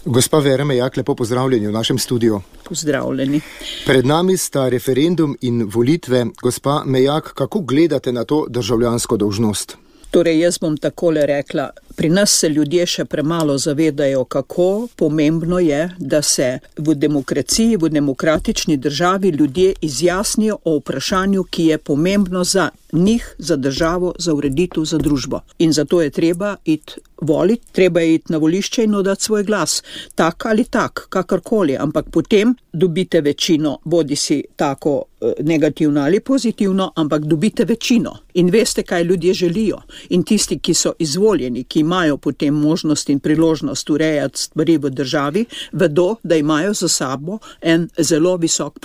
Gospa Vera Mejak, lepo pozdravljeni v našem studiu. Pozdravljeni. Pred nami sta referendum in volitve. Gospa Mejak, kako gledate na to državljansko dolžnost? Torej, jaz bom takole rekla, pri nas se ljudje še premalo zavedajo, kako pomembno je, da se v demokraciji, v demokratični državi ljudje izjasnijo o vprašanju, ki je pomembno za njih, za državo, za ureditev, za družbo. In zato je treba iti voliti, treba je iti na volišče in oddati svoj glas. Tak ali tak, kakorkoli, ampak potem dobite večino, bodi si tako negativno ali pozitivno, ampak dobite večino. In veste, kaj ljudje želijo. In tisti, ki so izvoljeni, ki imajo potem možnost in priložnost urejati stvari v državi, vedo, da imajo za sabo en zelo visok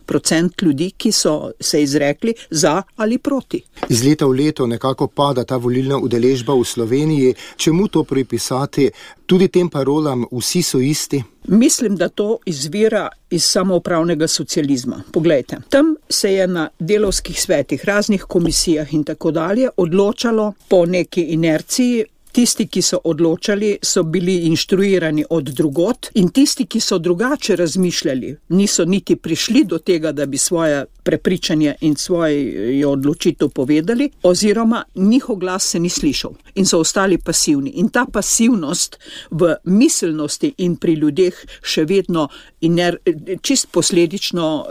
procent ljudi, ki so se izrekli za ali proti. Iz leta v leto nekako pada ta volilna udeležba v Sloveniji. Čemu to pripisati? Tudi tem parolam vsi so isti? Mislim, da to izvira iz samoupravnega socializma. Poglejte, tam se je na delovskih svetih, raznih komisijah in tako dalje odločalo po neki inerciji. Tisti, ki so odločali, so bili inštruirani od drugot in tisti, ki so drugače razmišljali, niso niti prišli do tega, da bi svoje prepričanje in svojo odločitev povedali, oziroma njihov glas se ni slišal in so ostali pasivni. In ta pasivnost v miselnosti in pri ljudeh še vedno čist posledično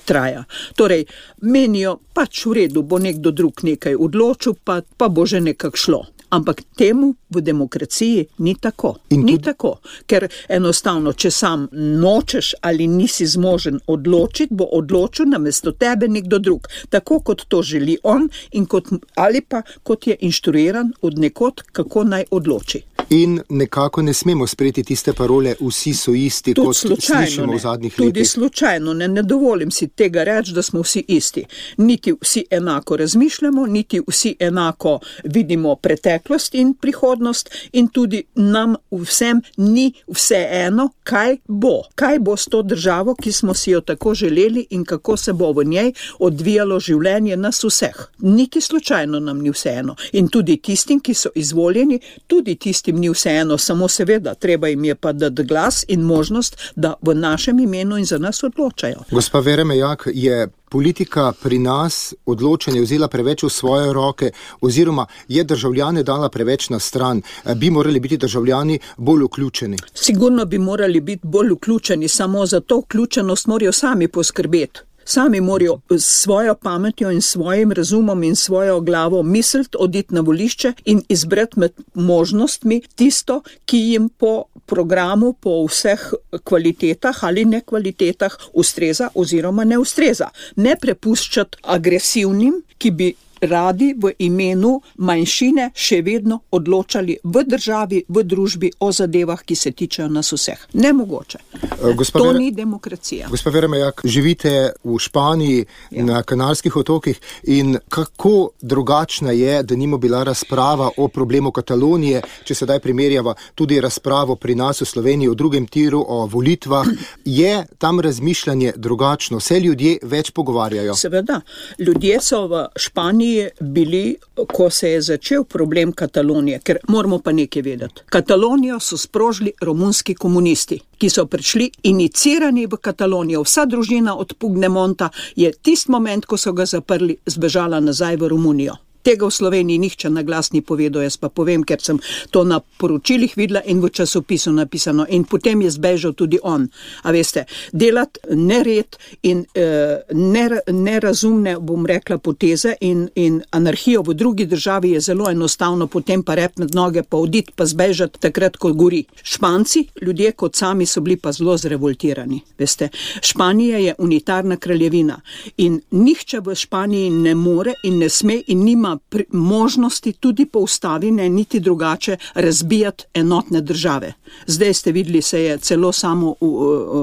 traja. Torej, menijo, pač v redu, bo nekdo drug nekaj odločil, pa bo že nekako šlo. Ampak temu v demokraciji ni tako. Ni tako, ker enostavno, če sam nočeš ali nisi zmožen odločiti, bo odločil namesto tebe nekdo drug. Tako kot to želi on in ali pa kot je inštruiran od nekod, kako naj odloči. In nekako ne smemo sprejeti tiste parole, vsi so isti, tudi kot slišimo v zadnjih letih. Tudi slučajno, ne dovolim si tega reči, da smo vsi isti. Niti vsi enako razmišljamo, niti vsi enako vidimo preteklost in prihodnost in tudi nam vsem ni vseeno, kaj bo. Kaj bo s to državo, ki smo si jo tako želeli in kako se bo v njej odvijalo življenje nas vseh. Niti slučajno nam ni vseeno. In tudi tistim, ki so izvoljeni, tudi tistim ni vseeno, samo seveda, treba jim je pa dati glas in možnost, da v našem imenu in za nas odločajo. Gospa Vera Mejak, je politika pri nas odločanje vzela preveč v svoje roke oziroma je državljane dala preveč na stran? Bi morali biti državljani bolj vključeni? Sigurno bi morali biti bolj vključeni, samo za to vključenost morajo sami poskrbeti. Sami morajo s svojo pametjo in svojim razumom in svojo glavo misliti, oditi na volišče in izbrati med možnostmi tisto, ki jim po programu, po vseh kvalitetah ali nekvalitetah ustreza oziroma ne ustreza. Ne prepuščati agresivnim, ki bi radi v imenu manjšine še vedno odločali v državi, v družbi o zadevah, ki se tičejo nas vseh. Nemogoče. To ni demokracija. Gospa Vera Mejak, živite v Španiji, na Kanarskih otokih in kako drugačna je, da nima bila razprava o problemu Katalonije, če sedaj primerjava tudi razpravo pri nas v Sloveniji o drugem tiru, o volitvah. Je tam razmišljanje drugačno? Se ljudje več pogovarjajo? Seveda. Ljudje so v Španiji bili, ko se je začel problem Katalonije, ker moramo pa nekaj vedeti. Katalonijo so sprožili romunski komunisti, ki so prišli inicirani v Katalonijo. Vsa družina od Puigdemonta je tist moment, ko so ga zaprli, zbežala nazaj v Romunijo. Tega v Sloveniji nihče na glas ni povedal, jaz pa povem, ker sem to na poročilih videla in v časopisu napisano. In potem je zbežal tudi on. A veste, delati nered in nerazumne, bom rekla, poteze in anarhijo v drugi državi je zelo enostavno, potem pa repnet noge, pa oditi, pa zbežati takrat, ko gori. Španci, ljudje kot sami so bili pa zelo zrevoltirani. Veste, Španija je unitarna kraljevina in nihče v Španiji ne more in ne sme in nima možnosti tudi po ustavi, ne niti drugače, razbijati enotne države. Zdaj ste videli, se je celo samo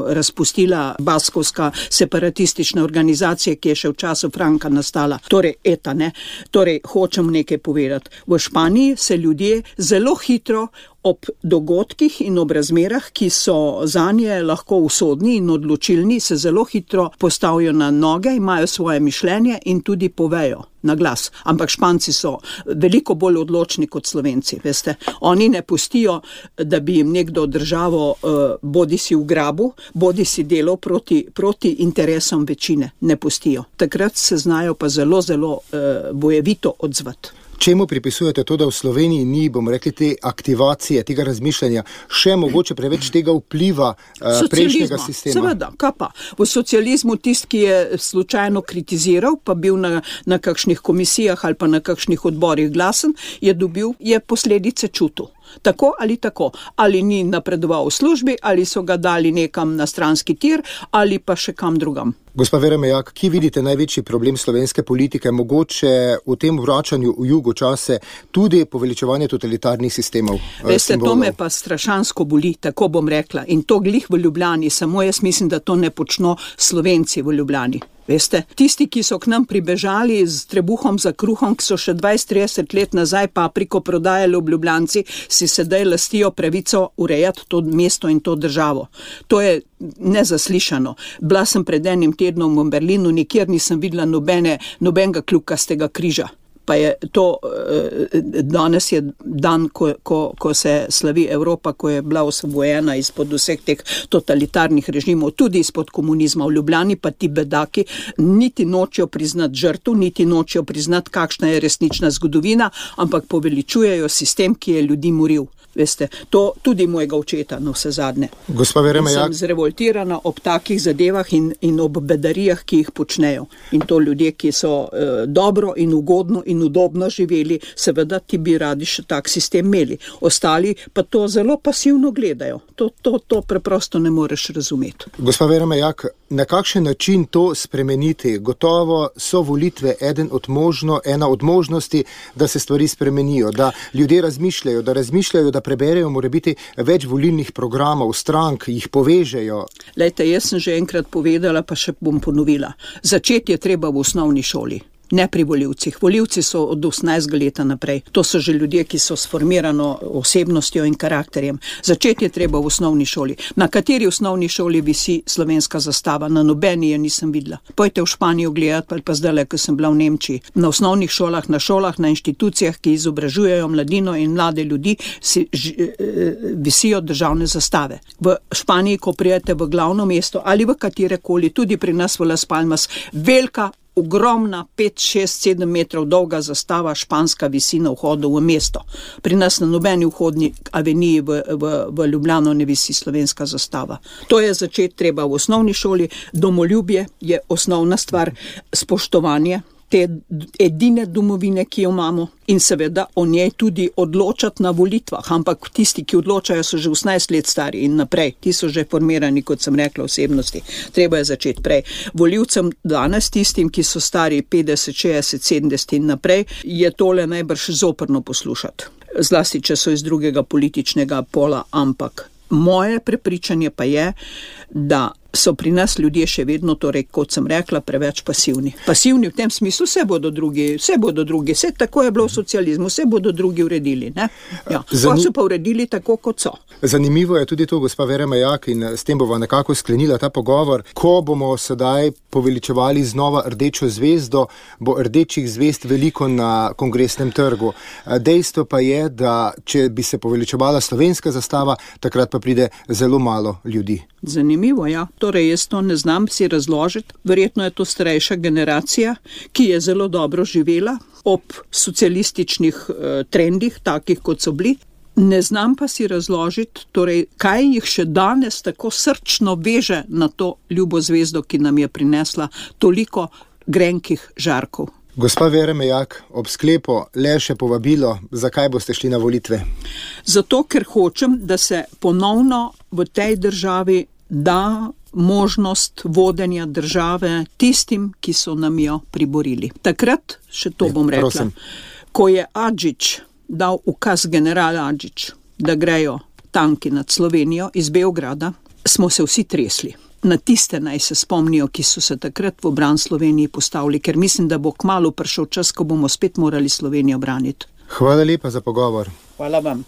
razpustila baskovska separatistična organizacija, ki je še v času Franka nastala. Torej, ETA, ne? Torej, hočem nekaj povedati. V Španiji se ljudje zelo hitro ob dogodkih in ob razmerah, ki so zanje lahko usodni in odločilni, se zelo hitro postavijo na noge, imajo svoje mišljenje in tudi povejo na glas. Ampak Španci so veliko bolj odločni kot Slovenci, veste. Oni ne pustijo, da bi jim nekdo državo bodi si v grabu, bodi si delal proti interesom večine. Ne pustijo. Takrat se znajo pa zelo bojevito odzvati. Čemu pripisujete to, da v Sloveniji ni, bomo rekli, te aktivacije, tega razmišljanja, še mogoče preveč tega vpliva prejšnjega sistema? Seveda, kaj pa? V socializmu tisti, ki je slučajno kritiziral, pa bil na kakšnih komisijah ali pa na kakšnih odborih glasen, je posledice čutil. Tako ali tako. Ali ni napredoval v službi, ali so ga dali nekam na stranski tir, ali pa še kam drugam. Gospa Vera Mejak, ki vidite največji problem slovenske politike, mogoče v tem vračanju v jugo čase tudi poveličevanje totalitarnih sistemov? Veste, to me pa strašansko boli, tako bom rekla. In to glih v Ljubljani, samo jaz mislim, da to ne počno Slovenci v Ljubljani. Veste, tisti, ki so k nam pribežali z trebuhom za kruhom, ki so še 20-30 let nazaj papriko prodajali v Ljubljanci, si sedaj lastijo pravico urejati to mesto in to državo. To je nezaslišano. Bila sem pred enim tednom v Berlinu, nikjer nisem videla nobenega kljukastega križa. Pa je to, danes je dan, ko se slavi Evropa, ko je bila osvobojena izpod vseh teh totalitarnih režimov, tudi izpod komunizma. V Ljubljani pa ti bedaki niti nočejo priznati žrtev, niti nočejo priznati, kakšna je resnična zgodovina, ampak poveličujejo sistem, ki je ljudi moril. Veste, to tudi mojega očeta, no vse zadnje. Gospa Vera Mejak, sem zrevoltirana ob takih zadevah in ob bedarijah, ki jih počnejo. In to ljudje, ki so dobro in ugodno in udobno živeli, seveda ti bi radi še tak sistem imeli. Ostali pa to zelo pasivno gledajo. To preprosto ne moreš razumeti. Gospa Vera Mejak, na kakšen način to spremeniti? Gotovo so volitve ena od možnosti, da se stvari spremenijo, da ljudje razmišljajo, da preberejo morebiti več volilnih programov, strank, jih povežejo. Lejte, jaz sem že enkrat povedala, pa še bom ponovila. Začeti je treba v osnovni šoli. Ne pri volivcih. Volivci so od 18 leta naprej. To so že ljudje, ki so sformirano osebnostjo in karakterjem. Začeti je treba v osnovni šoli. Na kateri osnovni šoli visi slovenska zastava? Na nobeni je nisem videla. Pojte v Španijo gledati, ali pa zdajle, ko sem bila v Nemčiji. Na osnovnih šolah, na šolah, na inštitucijah, ki izobražujejo mladino in mlade ljudi, visijo državne zastave. V Španiji, ko prijete v glavno mesto ali v katerekoli, tudi pri nas v Las Palmas, velika, ogromna 5, 6, 7 metrov dolga zastava španska visi na vhodu v mesto. Pri nas na nobeni vhodni aveniji v Ljubljano ne visi slovenska zastava. To je začeti treba v osnovni šoli. Domoljubje je osnovna stvar, spoštovanje te edine domovine, ki jo imamo, in seveda o njej tudi odločati na volitvah. Ampak tisti, ki odločajo, so že 18 let stari in naprej. Ti so že formirani, kot sem rekla, osebnosti. Treba je začeti prej. Volivcem danes, tistim, ki so stari 50, 60, 70 in naprej, je tole najbrž zoprno poslušati. Zlasti, če so iz drugega političnega pola, ampak moje prepričanje pa je, da so pri nas ljudje še vedno, torej, kot sem rekla, preveč pasivni. Pasivni v tem smislu, vse bodo drugi, vse tako je bilo v socializmu, vse bodo drugi uredili, ne? Ja. Pa so pa uredili tako, kot so. Zanimivo je tudi to, gospa Vera Mejak, in s tem bova nekako sklenila ta pogovor. Ko bomo sedaj poveličevali znova rdečo zvezdo, bo rdečih zvezd veliko na Kongresnem trgu. Dejstvo pa je, da če bi se poveličevala slovenska zastava, takrat pa pride zelo malo ljudi. Zanimivo, ja. Torej, jaz to ne znam si razložiti. Verjetno je to starejša generacija, ki je zelo dobro živela ob socialističnih trendih, takih kot so bili. Ne znam pa si razložiti, torej, kaj jih še danes tako srčno veže na to ljubo zvezdo, ki nam je prinesla toliko grenkih žarkov. Gospa Vera Mejak, ob sklepu le še povabilo, zakaj boste šli na volitve? Zato, ker hočem, da se ponovno v tej državi da možnost vodenja države tistim, ki so nam jo priborili. Takrat, še to bom rekla, ko je Adžič dal ukaz, general Adžič, da grejo tanki nad Slovenijo iz Beograda, smo se vsi tresli. Na tiste naj se spomnijo, ki so se takrat v bran Sloveniji postavili, ker mislim, da bo kmalu prišel čas, ko bomo spet morali Slovenijo braniti. Hvala lepa za pogovor. Hvala vam.